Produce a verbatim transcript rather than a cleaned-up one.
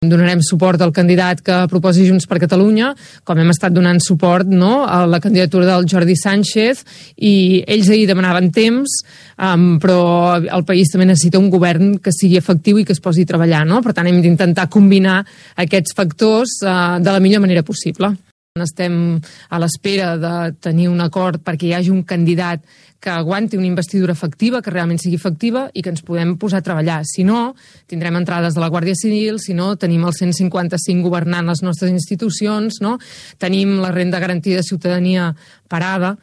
Donarem suport al candidat que proposi Junts per Catalunya, com hem estat donant suport, no?, a la candidatura del Jordi Sánchez, i ells ahir demanaven temps, um, però el país també necessita un govern que sigui efectiu i que es posi a treballar, no? Per tant, hem d'intentar combinar aquests factors uh, de la millor manera possible. Estem a l'espera de tenir un acord perquè hi hagi un candidat que aguanti una investidura efectiva, que realment sigui efectiva i que ens podem posar a treballar. Si no, tindrem entrades de la Guàrdia Civil, si no, tenim el cent cinquanta-cinc governant les nostres institucions, no? Tenim la renda garantida de ciutadania parada.